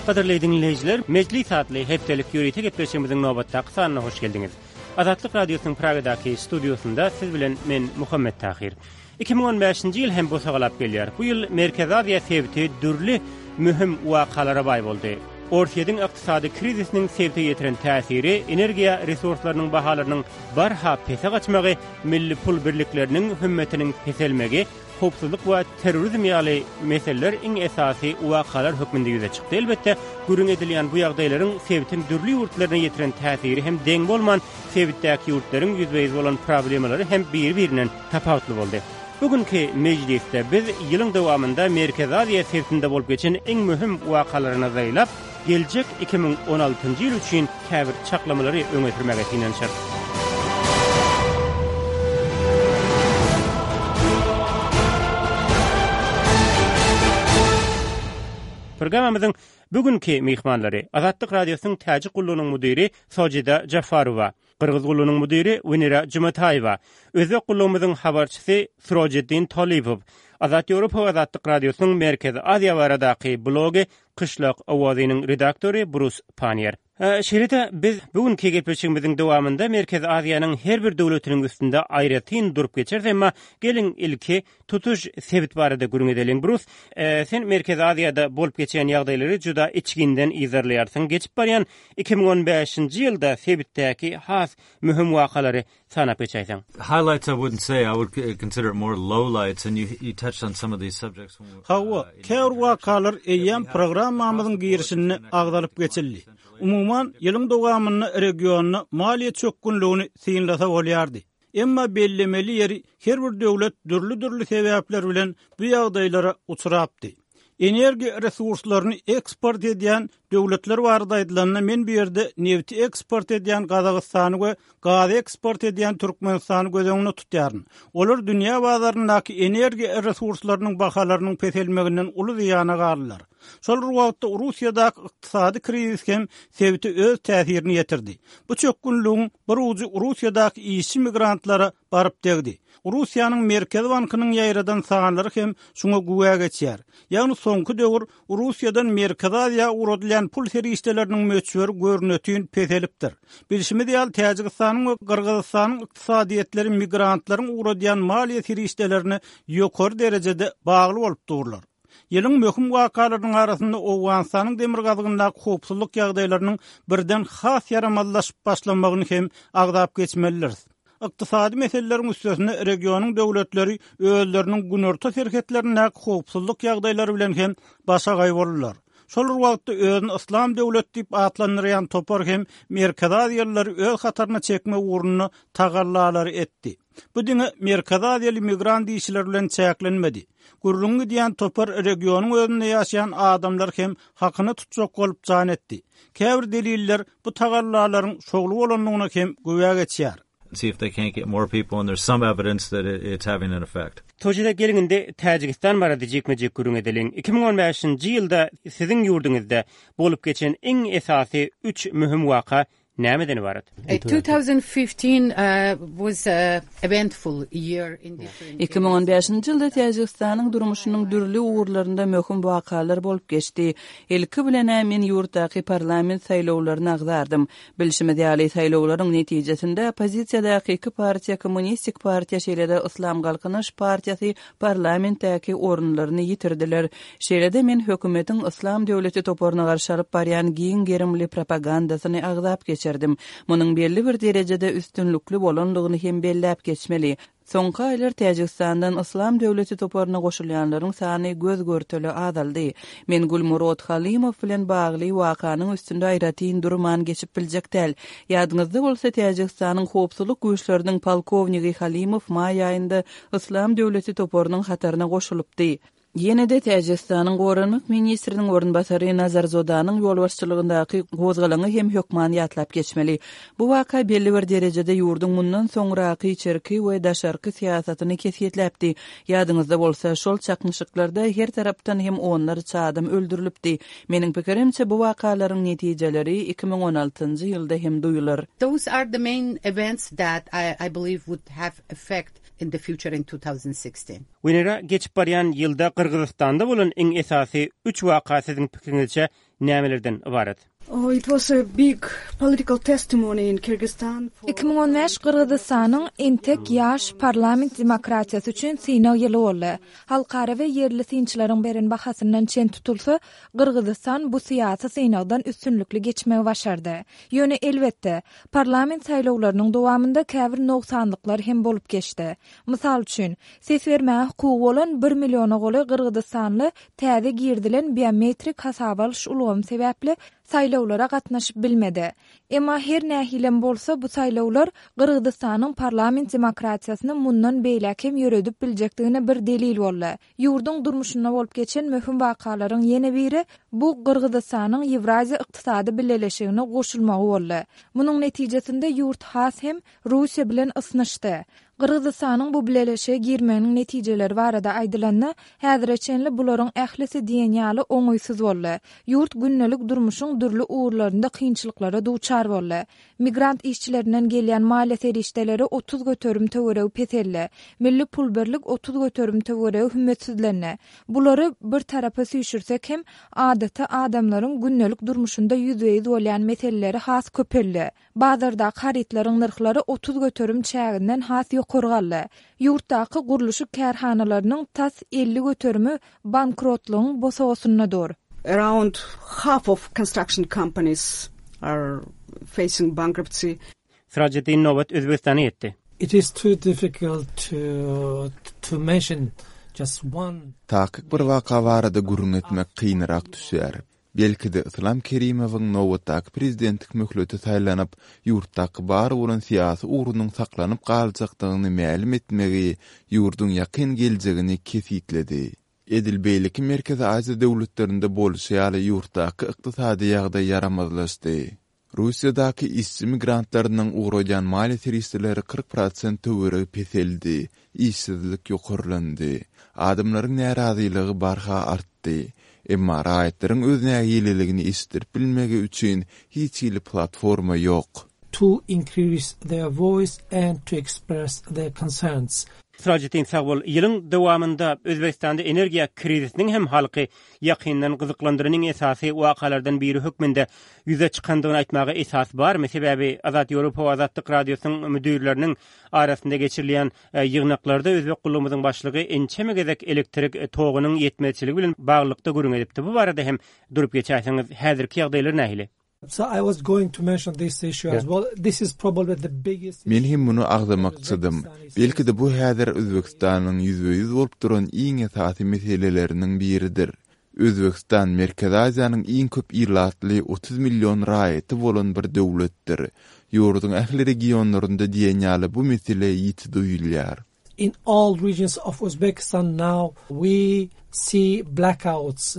Gadyrly diňleýjiler, Mejlis atly hepdelik ýörite gepleşigimiziň nobatdaky sanyna hoş geldiňiz. Azatlyk Radiosynyň Pragadaky studiýasynda siz bilen men Muhammet Tahyr. 2015-nji ýyl hem bosagalap gelýär. Bu ýyl Merkezi Aziýa sebiti dürli möhüm wakalara baý boldy. Orsýetiň ykdysady krizisiniň sebite ýetiren täsiri, energiýa resurslarynyň bahalarynyň barha pese gaçmagy, milli pul birlikleriniň hümmetiniň peselmegi, howpsuzlyk we terrorizm ýaly meseleler iň esasy wakalar hökmünde ýüze çykdy. Elbetde, gürrüň edilýän bu ýagdaýlaryň sebitiň dürli ýurtlaryna ýetiren täsiri hem deň bolman, sebitdäki ýurtlaryň ýüzbe-ýüz bolan problemalary hem biri-birinden tapawutly boldy. Bu günki mejlisde biz ýylyň dowamynda Merkezi Aziýa sebitinde bolup geçen iň möhüm wakalara nazar aýlap, geljek 2016-njy ýyl üçin käbir çaklamalary öňe sürmäge synanyşarys. Programmamyzyň bu günki myhmanlary, Azatlyk Radiosynyň Täjik gullugynyň müdiri Sojida Jafarowa, Gyrgyz gullugynyň müdiri Wenera Jumataýewa, Özbek gullugymyzyň habarçysy Sirojiddin Tolipow, Azat Ýewropa we Azatlyk Radiosynyň Merkezi Aziýa baradaky blogy Kyşlak owazynyň redaktory Brus Panniýer. Şeýle-de biz bu günki gepleşigimiziň dowamynda Merkezi Aziýanyň her bir döwletiniň üstünde aýratyn durup geçeris, emma geliň ilki tutuş sebit barada gürrüň edeliň. Brus, sen Merkezi Aziýada bolup geçýän ýagdaýlary juda içginden yzarlaýarsyň. Geçip barýan 2015-nji ýylda sebitdäki has möhüm wakalary sanap geçäýseň. Highlights I wouldn't say, I would consider it more lowlights and you you touched on some of these subjects when we Hawa, käbir wakalar eýýäm programmamyzyň girişinde agzalyp geçildi. Umuman, ýylyň dowamynda regionda maliýe çökgünligini synlasa bolýardy. Emma bellemeli ýeri, her bir döwlet dürli-dürli sebäpler bilen bu ýagdaýlara uçrapdy. Energiýa resurslaryny eksport edýän döwletler barada aýdylanda, men bu ýerde nebiti eksport edýän Gazagystany we gazy eksport edýän Türkmenistany göz öňünde tutýaryn. Olar dünýä bazaryndaky energiýa resurslarynyň bahalarynyň peselmeginden uly zyýana galdylar. Şol bir wagtda Russiýadaky ykdysady krizis hem sebite öz täsirini ýetirdi. Bu çökgünligiň bir ujy Russiýadaky işçi migrantlara baryp degdi. Russiýanyň Merkezi bankynyň ýaýradan sanlary hem şuňa güwä geçýär. Ýagny soňky döwür Russiýadan Merkezi Aziýa ugradylýan pul serişdeleriniň möçberi görnetin peselipdir. Bilşimiz ýaly, Täjigistanyň we Gyrgyzystanyň ykdysadyýetleri migrantlaryň ugradýan maliýe serişdelerine ýokary derejede bagly bolup durlar. Ýylyň möhüm wakalarynyň arasynda Owganystanyň demirgazygyndaky howpsuzlyk ýagdaýlarynyň birden has ýaramazlaşyp başlamagyny hem agzap geçmelidiris. Ykdysady meseleleriň üstesine regionyň döwletleri özleriniň günorta serhetlerindäki howpsuzlyk ýagdaýlary bilen hem başagaý boldular. Şol bir wagtda özüni Yslam döwleti diýip atlandyrýan topar hem Merkezi Aziýalylary öz hataryna çekmek ugrunda tagallalary etdi. Bu diňe Merkezi Aziýaly migrant işçiler bilen çäklenmedi. Gürrüňi gidýän topar regionyň özünde ýaşaýan adamlary hem hakyna tutjak bolup jan etdi. Käbir deliller bu tagallalaryň şowly bolandygyna hem güwä geçýär. See if they can't get more people and there's some evidence that it's having an effect. Tojide geliň indi Täjigistan barada jikme-jik gürrüň edeliň. 2015-nji ýylda siziň ýurduňyzda bolup geçen iň esasy üç möhüm waka nämeden ybarat? 2015-nji ýylda Täjigistanyň durmuşynyň dürli ugurlarynda möhüm wakalar bolup geçdi. Ilki bilen-ä men ýurtdaky parlament saýlawlaryny agzardym. Bilşimiz ýaly, saýlawlaryň netijesinde oppozisiýadaky iki partiýa Kommunistik partiýa şeýle-de Yslam Galkynyş partiýasy parlamentdäki orunlaryny ýitirdiler. Şeýle-de men hökümetiň Yslam döwleti toparyna garşy alyp barýan giň gerimli propagandasyny agzap geçerdim. Munuň belli bir derejede üstünlikli bolandygyny hem belläp geçmeli. Soňky aýlar Täjigistandan Yslam döwleti toparyna goşulýanlaryň sany göz-görtele azaldy. Men Gulmurod Halymow bilen bagly wakanyň üstünde aýratyn durman geçip biljek däl. Ýadyňyzda bolsa, Täjigistanyň howpsuzlyk güýçleriniň polkownigi Halymow maý aýynda Yslam döwleti toparynyň hataryna goşulypdy. Ýene-de Täjigistanyň goranmak ministriniň orunbasary Nazarzodanyň ýolbaşçylygyndaky gozgalaňy hem hökman ýatlap geçmeli. Bu waka belli bir derejede ýurduň mundan soňraky içerki we daşarky syýasatyny kesgitläpdi. Ýadyňyzda bolsa, şol çaknyşyklarda her tarapdan hem onlarça adam öldürilipdi. Meniň pikirimçe, bu wakalaryň netijeleri 2016-njy ýylda hem duýular. Those are the main events that I believe would have effect in the future in 2016. Wenera, geçip barýan ýylda Gyrgyzystanda bolan iň esasy üç waka siziň pikiriňizçe. nämelerden ybarat? 2015 Gyrgyzystanyň entek ýaş parlament demokratiýasy üçin synag ýyly boldy. Halkara we ýerli synçylaryň beren bahasyndan çen tutulsa, Gyrgyzystan bu syýasy synagdan üstünlikli geçmegi başardy. Ýöne, elbetde, parlament saýlawlarynyň dowamynda käbir nogsanlyklar hem bolup geçdi. Mysal üçin, ses bermäge hukugy bolan bir milliona golaý gyrgyzystanly täze girizilen biometrik hasaba alyş ulgamy sebäpli saýlawlara gatnaşyp bilmedi. Emma her nähilem bolsa bu saýlawlar Gyrgyzystanyň parlament demokratiýasyny mundan beýläk hem ýöredip biljekdigine bir delil boldy. Ýurduň durmuşynda bolup geçen möhüm wakalaryň ýene biri bu Gyrgyzystanyň Ýewraziýa Ykdysady Bileleşigine goşulmagy boldy. Munuň netijesinde ýurt has hem Russiýa bilen ysnyşdy. Gyrgyzystanyň bu bileleşige girmeginiň netijeleri barada aýdylanda, häzire çenli bularyň ählisi diýen ýaly oňaýsyz boldy. Ýurt gündelik durmuşyň dürli ugurlarynda kynçylyklara duçar boldy. Migrant işçilerinden gelýän maliýe serişdeleri 30% töweregi peseldi. Milli pul birlik 30% töweregi hümmetsizlendi. Bulary bir tarapa süýşürsek hem, adaty adamlaryň gündelik durmuşynda ýüzbe-ýüz bolýan meseleleri has köpeldi. Bazardaky harytlaryň nyrhlary 30% çäginden has ýokary galdy. Ýurtdaky gurluşyk kärhanalarynyň tas 50 göterimi bankrotlygyň bosagasynda dur. Around half of construction companies are facing bankruptcy. Syrajeddin nobat Özbegistana ýetdi. It is too difficult to to mention just one. Takyk bir waka barada gürrüň etmek kynrak düşýär. Belki-de, Yslam Kerimowyň nobatdaky prezidentlik möhleti saýlanyp, ýurtdaky bar bolan syýasy ugrunyň saklanyp galjakdygyny mälim etmegi ýurduň ýakyn geljegini kesgitledi. Edil beýleki Merkezi Aziýa döwletlerinde bolşy ýaly ýurtdaky ykdysady ýagdaý ýaramazlaşdy. Russiýadaky işçi migrantlarynyň ugradýan maliýe serişdeleri 40 prosent töweregi peseldi, işsizlik ýokarlandy. Adamlaryň närazylygy barha artdy. Emma raýatlaryň öz nägileligini eşitdirip bilmegi üçin hiç hili platforma ýok. To increase their voice and to express their concerns. Syrajeddin sag bol. Ýylyň dowamynda Özbegistanda energiýa krizisiniň hem halky ýakyndan gyzyklandyran iň esasy wakalardan biri hökmünde ýüze çykandygyny aýtmaga esas barmy? Sebäbi Azat Ýewropa we Azatlyk Radiosynyň müdirleriniň arasynda geçirilýän ýygnaklarda özbek gullugymyzyň başlygy ençeme gezek elektrik togunyň ýetmezçiligi bilen baglylykda gürrüň edipdi. Bu barada hem durup geçäýseňiz, häzirki ýagdaýlar nähili? Men hem muny agzamakçydym. Belki-de bu häzir Özbegistanyň ýüzbe-ýüz bolup duran iň esasy meseleleriniň biridir. Özbegistan Merkezi Aziýanyň iň köp ilatly 30 million raýaty bolan bir döwletdir. Ýurduň ähli regionlarynda diýen ýaly bu mesele ýiti duýulýar. In all regions of Uzbekistan now we see blackouts.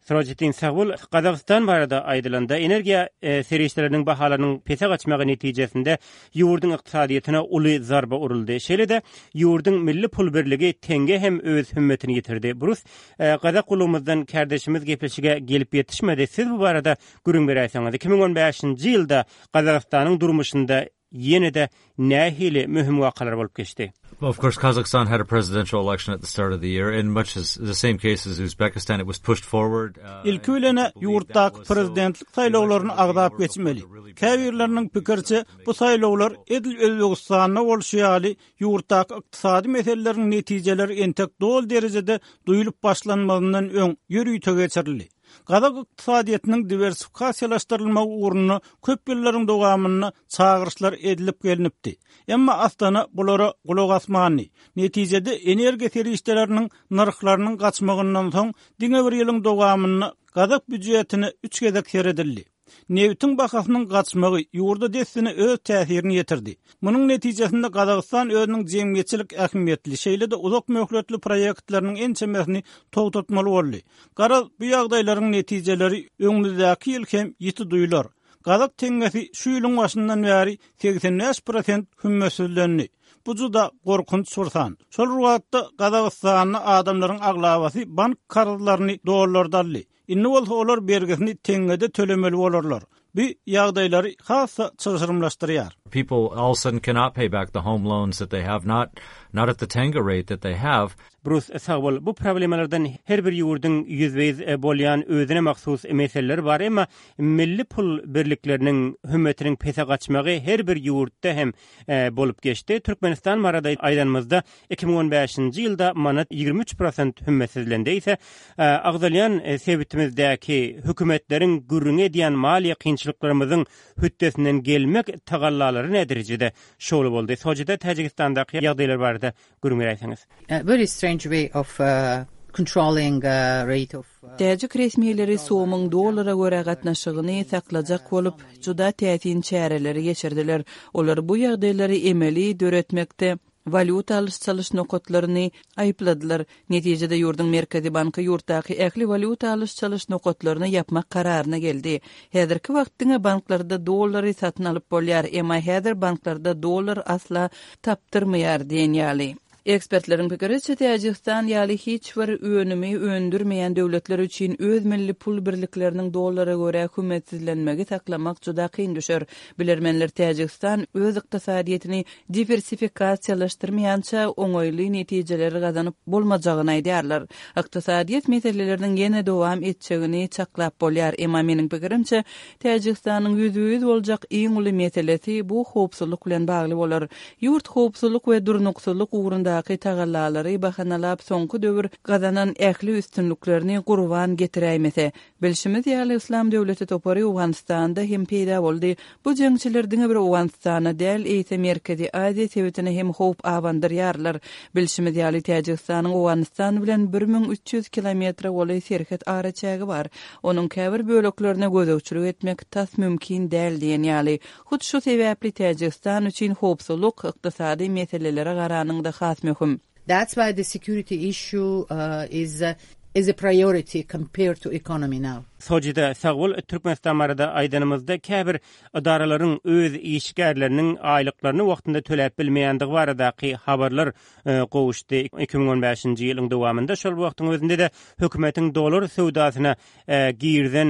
Syrajeddin sag bol. Gazagystan barada aýdylanda, energiýa serişdeleriniň bahalarynyň pese gaçmagy netijesinde ýurduň ykdysadyýetine uly zarba uruldy. Şeýle-de, ýurduň milli pul birligi tenge hem öz hümmetini ýitirdi. Brus, gazak gullugymyzdan kärdeşimiz gepleşige gelip ýetişmedi. Siz bu barada gürrüň beräýseňiz. 2015-nji ýylda Gazagystanyň durmuşynda Ýene-de nähili möhüm wakalar bolup geçdi? Well, of course, Kazakhstan had a presidential election at the start of the year, and much as the same case as Uzbekistan, it was pushed forward. Uh, Ilki bilen-ä ýurtdaky prezidentlik saýlawlaryny agzap geçmeli. Käbirleriniň pikiriçe, bu saýlawlar edil Özbegistanda bolşy ýaly, ýurtdaky ykdysady meseleleriň netijeleri entek doly derejede duýlup başlanmazyndan öň ýörite geçirildi. Gazak ykdysadyýetiniň diwersifikasiýalaşdyrylmagy ugrunda köp ýyllaryň dowamynda çagyryşlar edilip gelnipdi. Emma Astana bulara gulak asmandy. Netijede energiýa serişdeleriniň nyrhlarynyň gaçmagyndan soň diňe bir ýylyň dowamynda gazak býujetine üç gezek seredildi. Nebitiň bahasynyň gaçmagy ýurda dessine öz täsirini ýetirdi. Munuň netijesinde Gazagystan özüniň jemgyýetçilik ähmiýetli, şeýle-de uzak möhletli proýektleriniň ençemesini togtatmaly boldy. Garaz, bu ýagdaýlaryň netijeleri öňümizdäki ýyl hem ýiti duýlar. Gazak teňňesi şu ýylyň başyndan bäri 85 prosent hümmetsizlendi. Bu juda gorkunç bir san. Şol bir wagtda Gazagystanda adamlaryň aglabasy bank karzlaryny dollarda aldy. Indi bolsa olar bergisini teňňede tölemeli bolarlar. Bu ýagdaýlary has-da çylşyrymlaşdyrýar. People all of a sudden cannot pay back the home loans that they have, not not at the tenge rate that they have. Brus, sag bol. Bu problemalardan her bir ýurduň ýüzbe-ýüz bolýan özüne mahsus meseleleri bar, emma milli pul birlikleriniň hümmetiniň pese gaçmagy her bir ýurtda hem bolup geçdi. Türkmenistan barada aýdanymyzda, 2015-nji ýylda manat 23 prosent hümmetsizlendi. Eýse, agzalýan sebitimizdäki hökümetleriň gürrüňi edýän maliýe kynçylyklarymyzyň hötdesinden gelmek tagallalary näderejede şowly boldy? Sojida Täjigistandaky ýagdaýlar barada gürrüň beräýseňiz. Very strange way of controlling rate of. Täjik resmileri somyň dollara görä gatnaşygyny saklajak bolup, juda täsin çäreleri geçirdiler. Olar bu ýagdaýlary emeli döretmekde walýuta alyş-çalyş nokatlaryny aýypladylar. Netijede ýurduň Merkezi banky ýurtdaky ähli walýuta alyş-çalyş nokatlaryny ýapmak kararyna geldi. Häzirki wagt diňe banklarda dollary satyn alyp bolýar, emma häzir banklarda dollar asla tapdyrmaýar diýen ýaly. Ekspertleriň pikiriçe, Täjigistan ýaly hiç bir önümi öndürmeýän döwletler üçin öz milli pul birlikleriniň dollara görä hümmetsizlenmegi saklamak juda kyn düşer. Bilermenler Täjigistan öz ykdysadyýetini diwersifikasiýalaşdyrmaýança oňaýly netijeleri gazanyp bolmajagyny aýdýarlar. Ykdysadyýet meseleleriniň ýene dowam etjegini çaklap bolýar, emma meniň pikirimçe, Täjigistanyň ýüzbe-ýüz boljak iň uly meselesi bu howpsuzlyk bilen bagly bolar. Ýurt howpsuzlyk we durnuksyzlyk ugrundaky tagallalary bahanalap soňky döwür gazanan ähli üstünliklerini gurban getiräýmese. Bilşimiz ýaly Yslam döwleti topary Owganystanda hem peýda boldy. Bu jeňçiler diňe bir Owganystana däl, eýse Merkezi Aziýa sebitine hem howp abandyrýarlar. Bilşimiz ýaly Täjigistanyň Owganystan bilen 1300 kilometre golaý serhet araçägi bar. Onuň käbir böleklerine gözegçilik etmek tas mümkin däl diýen ýaly. Hut şu sebäpli Täjigistan üçin howpsuzlyk ykdysady meselelere garanyňda has möhüm. That's why the security issue is is a priority compared to economy now. Sojide sag bol Türkmenistan barada aýdanymyzda käbir ydaralaryň öz işgärleriniň aýlyklaryny wagtynda töläp bilmeýändigi baradaky habarlar gowuşdy. 2015-nji ýylyň dowamynda şol wagtyň özünde-de hökümetiň dollar söwdasyna girizen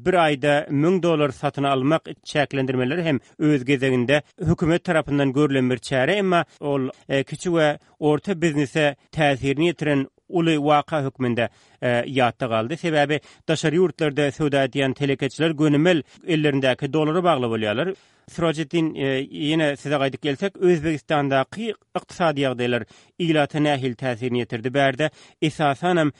bir aýda 1000 dollar satyn almak çäklendirmeleri hem öz gezeginde hökümet tarapyndan görlen bir çäre, emma ol kiçi we orta biznese täsirini ýetiren uly waka hökmünde ýatda galdy. Sebäbi daşary ýurtlarda söwda edýän telekeçiler gönümel ellerindäki dollara bagly bolýarlar. Surajeddin, ýene size gaýdyp gelsek, Özbegistandaky ykdysady ýagdaýlar ilata nähili täsirini ýetirdi? Bärde, esasanam,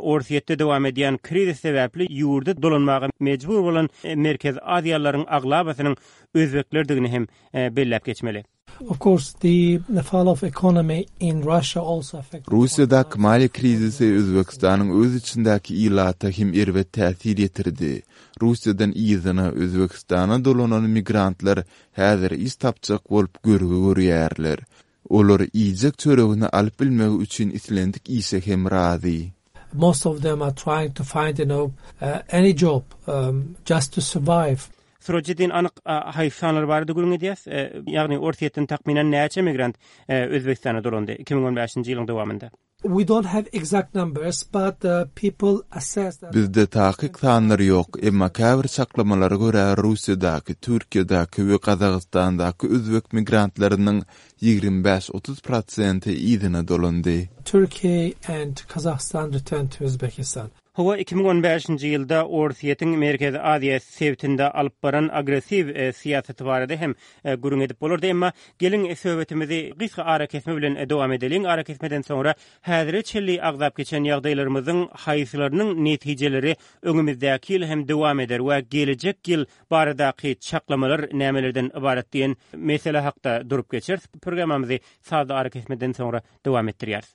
Orsýetde dowam edýän krizis sebäpli ýurda dolanmaga mejbur bolan merkezi aziýalylaryň aglabasynyň özbeklerdigini hem belläp geçmeli. Of course, the fall of economy in Russia also affected. Russiýadaky maliýe krizisi Özbegistanyň öz içindäki ilata hem erbet täsir ýetirdi. Russiýadan yzyna, Özbegistana dolanan migrantlar häzir iş tapjak bolup görgi görýärler. Olar iýjek çöregini alyp bilmegi üçin islendik işe hem razy. Most of them are trying to find, you know, any job just to survive. Surajeddin anyk haýsy sanlar barada gürrüň edýäs? Ýagny Orsýetden takmynan näçe migrant Özbegistana dolandy 2015-nji ýylyň dowamynda? We don't have exact numbers, but people assess that. Bizde takyk sanlar ýok, emma käbir çaklamalara görä Russiýadaky, Türkiýedäki we Gazagystandaky özbek migrantlarynyň 25-30 prosenti yzyna dolandy. Turkey and Kazakhstan returned to Uzbekistan. Hawa, 2015-nji ýylda Orsýetiň Merkezi Aziýa sebitinde alyp baran agressiw syýasaty barada hem gürrüň edip bolardy. Emma geliň, söhbetimizi gysga arakesme bilen dowam edeliň. Arakesmeden soňra häzire çenli agzap geçen ýagdaýlarymyzyň haýsylarynyň netijeleri öňümizdäki ýyl hem dowam eder we gelejek ýyl baradaky çaklamalar nämelerden ybarat diýen mesele hakda durup geçeris. Programmamyzy sazly arakesmeden soňra dowam etdirýäris.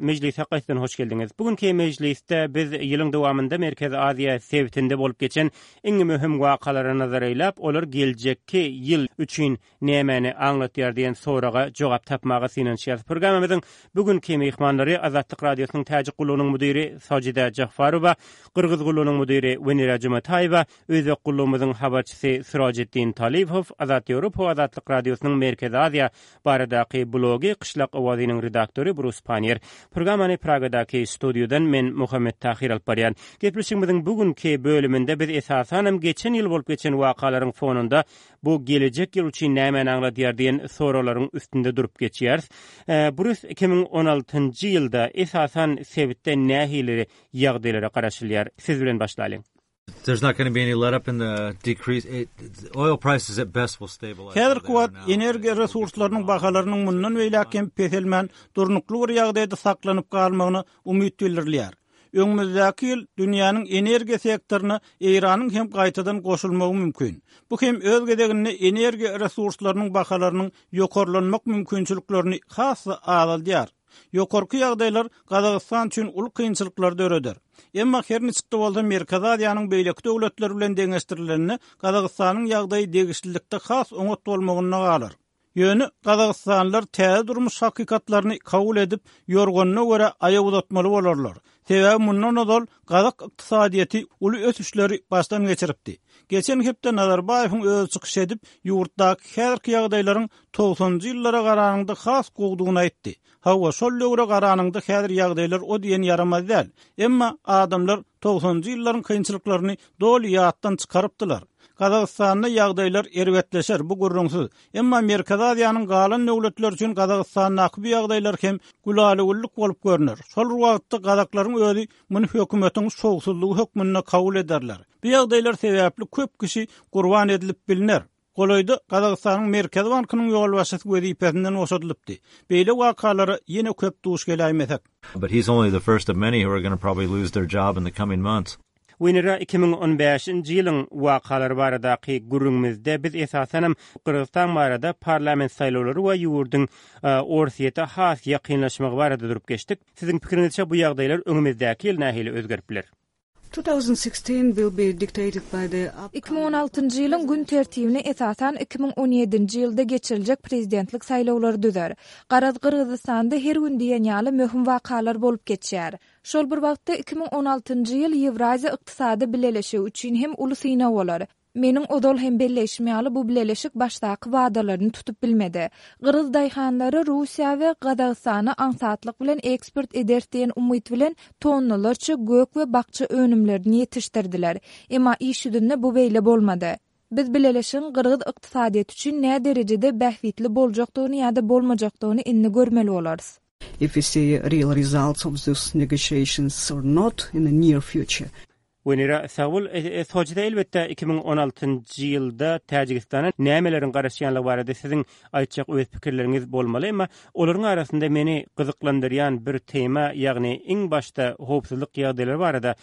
Mejlise gaýtadan hoş geldiňiz. Bu günki mejlisde biz ýylyň dowamynda Merkezi Aziýa sebitinde bolup geçen iň möhüm wakalara nazar eýläp, olar geljekki ýyl üçin nämäni aňlatýar diýen soraga jogap tapmaga synanyşýarys. Programmamyzyň bu günki myhmanlary Azatlyk Radiosynyň Täjik gullugynyň müdiri Sojida Jahfarowa, Gyrgyz gullugynyň müdiri Wenera Jumataýewa, Özbek gullugymyzyň habarçysy Sirojiddin Talibow, Azat Ýewropa we Azatlyk Radiosynyň Merkezi Aziýa baradaky blogy Kyşlak owazynyň redaktory Brus Pannier. Programmany Pragadaky studiýadan men Muhammet Tahyr alyp barýan. Gepleşigimiziň bu günki bölüminde biz esasanam geçen ýyl bolup geçen wakalaryň fonunda bu gelejek ýyl üçin nämäni aňladýar diýen soraglaryň üstünde durup geçýäris. Brus 2016-njy ýylda esasan sebitde nähili ýagdaýlara garaşylýar? Siz bilen başlalyň. There's not gonna be any let up in the decrease. It, oil prices at best will stabilize. Häzirki wagt energiýa resurslarynyň bahalarynyň mundan beýläk hem peselmän, durnukly bir ýagdaýda saklanyp galmagyna umyt bildirilýär. Öňümizdäki ýyl dünýäniň energiýa sektoryna Eýranyň hem gaýtadan goşulmagy mümkin. Bu hem öz gezeginde energiýa resurslarynyň bahalarynyň ýokarlanmak mümkinçiliklerini has-da azaldýar. Ýokarky ýagdaýlar Gazagystan üçin uly kynçylyklary döreder. Emma her niçik-de bolsa Merkezi Aziýanyň beýleki döwletleri bilen deňeşdirilende Gazagystanyň ýagdaýy degişlilikde has oňat bolmagynda galar. Ýöne gazagystanlylar täze durmuş hakykatlaryny kabul edip, ýorganyna görä aýak uzatmaly bolarlar. Sebäbi mundan ozal gazak ykdysadyýeti uly ösüşleri başdan geçiripdi. Geçen hepde Nazarbaýewiň özi çykyş edip, ýurtdaky häzirki ýagdaýlaryň togsanynjy ýyllara garanyňda has gowudygyny aýtdy. Hawa, şol döwre garanyňda häzir ýagdaýlar o diýen ýaramaz däl. Emma adamlar togsanynjy ýyllaryň kynçylyklaryny doly ýatdan çykarypdylar. Gazagystanda ýagdaýlar erbetleşer, bu gürrüňsiz. Emma Merkezi Aziýanyň galan döwletleri üçin Gazagystandaky bu ýagdaýlar hem gülala-güllük bolup görner. Şol bir wagtda gazaklaryň özi muny hökümetiň şowsuzlygy hökmünde kabul ederler. Bu ýagdaýlar sebäpli köp kişi gurban edilip bilner. Golaýda Gazagystanyň Merkezi bankynyň ýolbaşçysy wezipesinden boşadylypdy. Beýle wakalara ýene köp duş geläýmesek. But he's only the first of many who are gonna probably lose their job in the coming months. Wenera 2015-nji ýylyň wakalary baradaky gürrüňimizde biz esasanam Gyrgyzystan barada parlament saýlawlary we ýurduň Orsýete has ýakynlaşmagy barada durup geçdik. Siziň pikiriňizçe bu ýagdaýlar öňümizdäki ýyl nähili özgerip biler? 2016 will be dictated by the 2016-njy ýylyň gün tertibini esasan 2017-nji ýylda geçiriljek prezidentlik saýlawlary düzer. Garaz Gyrgyzystanda her gün diýen ýaly möhüm wakalar bolup geçýär. Şol bir wagtda 2016-njy ýyl Ýewraziýa Ykdysady Bileleşigi üçin hem uly synag bolar. Meniň ozal hem belleýşim ýaly, bu bileleşik başdaky wadalaryny tutup bilmedi. Gyrgyz daýhanlary Russiýa we Gazagystana aňsatlyk bilen eksport ederis diýen umyt bilen tonnalarça gök we bakja önümlerini ýetişdirdiler. Emma iş ýüzünde bu beýle bolmady. Biz bileleşigiň gyrgyz ykdysadyýeti üçin näderejede bähbitli boljakdygyny ýa-da bolmajakdygyny indi görmeli bolarys. If we see real results of those negotiations or not in the near future. Wenera, sag bol. Soçide elbetde 2016-njy ýylda Täjigistana nämeleriň garaşýanlygy barada siziň aýtjak öz pikirleriňiz bolmaly, emma olaryň arasynda meni gyzyklandyrýan bir tema, ýagny iň başda howpsuzlyk ýagdaýlary barada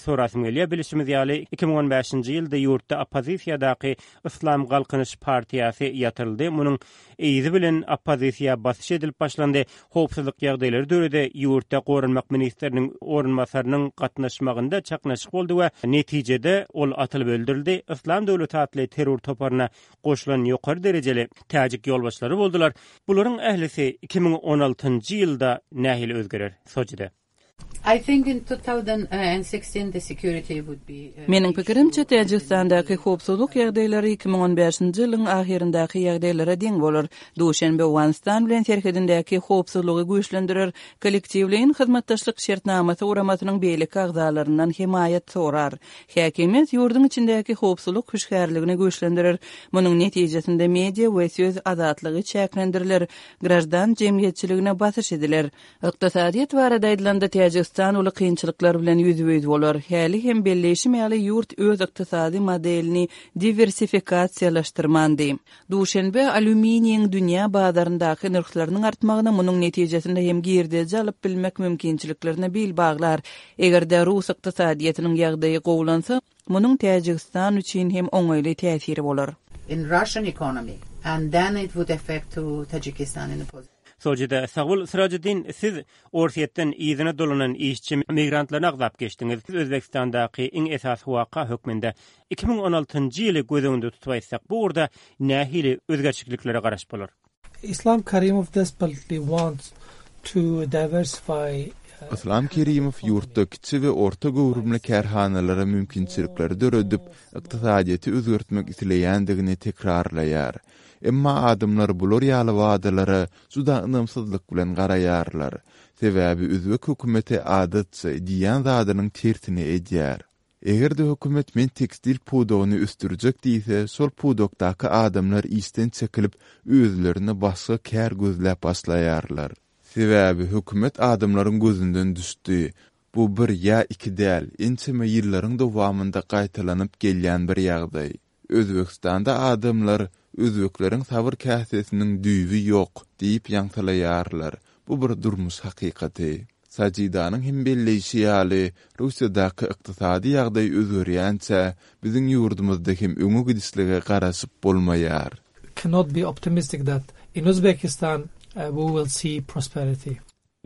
sorasym gelýär. Bilişimiz ýaly, 2015-nji ýylda ýurtda oppozisiýadaky Yslam Galkynyş partiýasy ýatyryldy. Munuň Yzy bilen oppozisiýa basyş edilip başlandy, howpsuzlyk ýagdaýlary döredi, ýurtda goranmak ministriniň orunbasarynyň gatnaşmagynda çaknyşyk boldy we netijede ol atylyp öldürildi, Yslam döwleti atly terror toparyna goşulan ýokary derejeli täjik ýolbaşçylary boldular. Bularyň ählisi 2016-njy ýylda nähili özgerer? Sojide. Meniň pikirimçe, Täjigistandaky howpsuzlyk ýagdaýlary 2015-nji ýylyň ahyryndaky ýagdaýlara deň bolar. Duşenbe Owganystan bilen serhedindäki howpsuzlygy güýçlendirer, Kollektiwleýin hyzmatdaşlyk şertnamasy guramasynyň beýleki agzalaryndan hemaýat sorar. Häkimiýet ýurduň içindäki howpsuzlyk hüşgärligini güýçlendirer. Munuň netijesinde media we söz azatlygy çäklendiriler, graždan jemgyýetçiligine basyş ediler. Ykdysadyýet barada aýdylanda, Täjigistan uly kynçylyklar bilen ýüzbe-ýüz bolar. Häli hem belleýşim ýaly, ýurt öz ykdysady modelini diwersifikasiýalaşdyrmandy. Duşenbe alýuminiýiň dünýä bazaryndaky nyrhlarynyň artmagyna, munuň netijesinde hem girdeji alyp bilmek mümkinçiliklerine bil baglar. Eger-de rus ykdysadyýetiniň ýagdaýy gowulansa, munuň Täjigistan üçin hem oňaýly täsiri bolar. In Russian economy and then it would affect to Tajikistan in a positive. Sojida, sag bol. Syrajiddin, siz Orsýetden yzyna dolanan işçi migrantlaryny agzap geçdiňiz. Özbegistandaky iň esasy waka hökmünde 2016-njy ýyly göz öňünde tutup aýtsak, bu ugurda nähili özgerçikliklere garaşyp bolar? Islam Karimov desperately wants to diversify Yslam Kerimow ýurtda kiçi we orta göwrümli kärhanalara mümkinçilikleri döredip, ykdysadyýeti özgertmek isleýändigini tekrarlaýar. Emma adamlar bular ýaly wadalara juda ynamsyzlyk bilen garaýarlar. Sebäbi özbek hökümeti adatça diýýän zadynyň tersini edýär. Eger-de hökümet men tekstil pudagyny ösdürjek diýse, şol pudakdaky adamlar işden çekilip, özlerine başga kär gözläp başlaýarlar. Sebäbi hökümet adamlaryň gözünden düşdi. Bu bir ýa iki däl, ençeme ýyllaryň dowamynda gaýtalanyp gelýän bir ýagdaý. Özbegistanda adamlar Özbekleriň sabyr käsesiniň düýbi ýok diýip ýaňsylaýarlar. Bu bir durmuş hakykaty. Sajidanyň hem belleýşi ýaly, Russiýadaky ykdysady ýagdaý özgerýänçä, biziň ýurdumyzda hem öňe gidişlige garaşyp bolmaýar. Cannot be optimistic that in Uzbekistan we will see prosperity.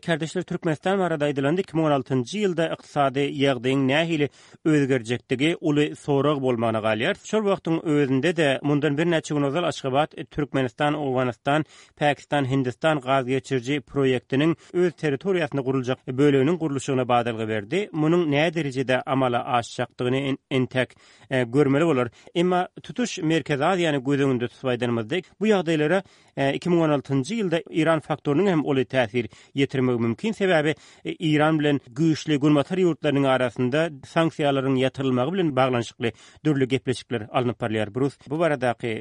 Kärdeşler Türkmenistan barada aýdylanda 2016-njy ýylda ykdysady ýagdaýyň nähili özgerjekdigi uly sorag bolmagyna galýar. Şol wagtyň özünde-de mundan birnäçe gün ozal Aşgabat Türkmenistan, Owganystan, Pakistan, Hindistan gaz geçiriji proýektiniň öz territoriýasynda guruljak böleginiň gurluşygyna badalga berdi. Munuň näderejede amala aşjakdygyny entek görmeli bolar. Emma tutuş Merkezi Aziýany göz öňünde tutup aýdanymyzda bu ýagdaýlara 2016-njy ýylda Eýran faktorynyň hem uly täsir ýetirmegi mümkin, sebäbi Eýran bilen güýçli Günbatar ýurtlarynyň arasynda sanksiýalaryň ýatyrylmagy bilen baglanyşykly dürli gepleşikler alnyp barylýar. Brus, bu baradaky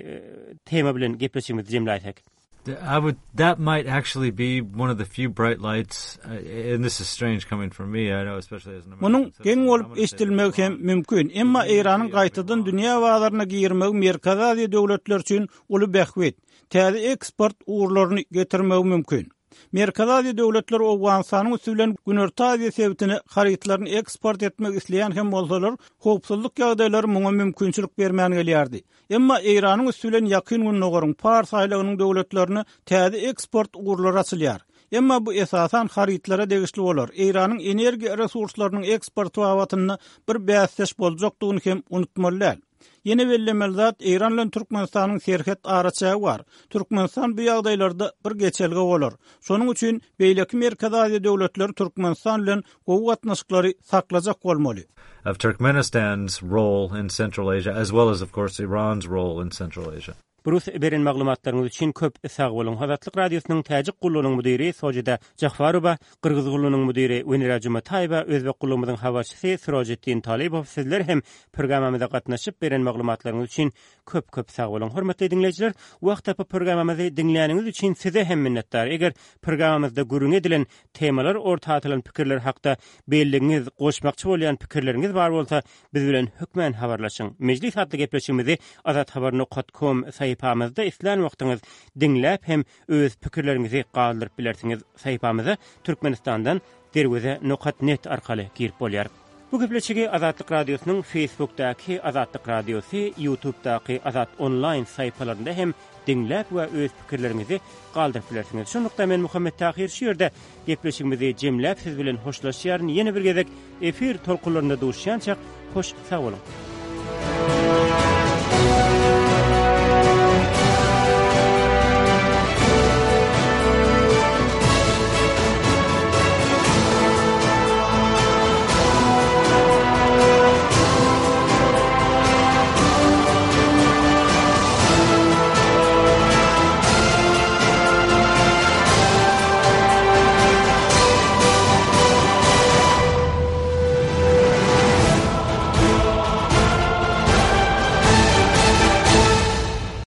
tema bilen gepleşigimizi jemläýsek. I would that might actually be one of the few bright lights uh, and this is strange coming from me I know especially as an American Munuň geň bolup eşidilmegi hem mümkin, emma Eýranyň gaýtadan dünýä bazaryna girmegi Merkezi Aziýa döwletleri üçin uly bähbit. täze eksport ugurlaryny getirmegi mümkin. Merkezi Aziýa döwletleri Owganystanyň üsti bilen Günorta Aziýa sebitine harytlaryny eksport etmek isleýän hem bolsalar, howpsuzlyk ýagdaýlary muňa mümkinçilik bermän gelýärdi. Emma Eýranyň üsti bilen Ýakyn Gündogaryň, Pars aýlagynyň döwletlerine täze eksport ugurlary açylýar. Emma bu esasan harytlara degişli bolar. Eýranyň energiýa resurslarynyň eksporty babatynda bir bäsdeş boljakdygyny hem unutmaly däl. Ýene bellemeli zat, Eýran bilen Türkmenistanyň serhet araçägi bar. Türkmenistan bu ýagdaýlarda bir geçelge bolar. Şonuň üçin beýleki Merkezi Aziýa döwletleri Türkmenistan bilen gowy gatnaşyklary saklajak bolmaly. Of Turkmenistan's role in Central Asia as well as of course Iran's role in Central Asia. Brus beren maglumatlaryňyz üçin köp sag boluň. Azatlyk Radiosynyň Täjik gullugynyň müdiri Sojida Jahwarowa, Gyrgyz gullugynyň müdiri Wenera Jumataýewa, Özbek gullugymyzyň habarçysy Sirojiddin Talybow sizler hem programmamyza gatnaşyp beren maglumatlaryňyz üçin köp köp sag boluň. Hormatly diňleýjiler, wagt tapyp programmamyzy diňläniňiz üçin size hem minnetdar. Eger programmamyzda gürrüňi edilen temalar, orta atylan pikirler hakda belligiňiz, goşmakçy bolýan pikirleriňiz bar bolsa, Biz bilen hökmän habarlaşyň. Mejlis atly gepleşigimizi azathabar nokat kom sahypamyzda islän wagtyňyz diňläp hem öz pikirleriňizi galdyryp bilersiňiz. Sahypamyza Türkmenistandan Derweze nokat net arkaly girip bolýar. Bu gepleşigi Azatlyk Radiosynyň Facebookdaky Azatlyk Radiosy, Ýutubdaky Azat Onlaýn sahypalarynda hem diňläp we öz pikirleriňizi galdyryp bilersiňiz. Şunlukda men Muhammet Tahyr şu ýerde gepleşigimizi jemläp siz bilen hoşlaşýaryn. Ýene bir gezek efir tolkunlarynda duşýançak hoş sag boluň.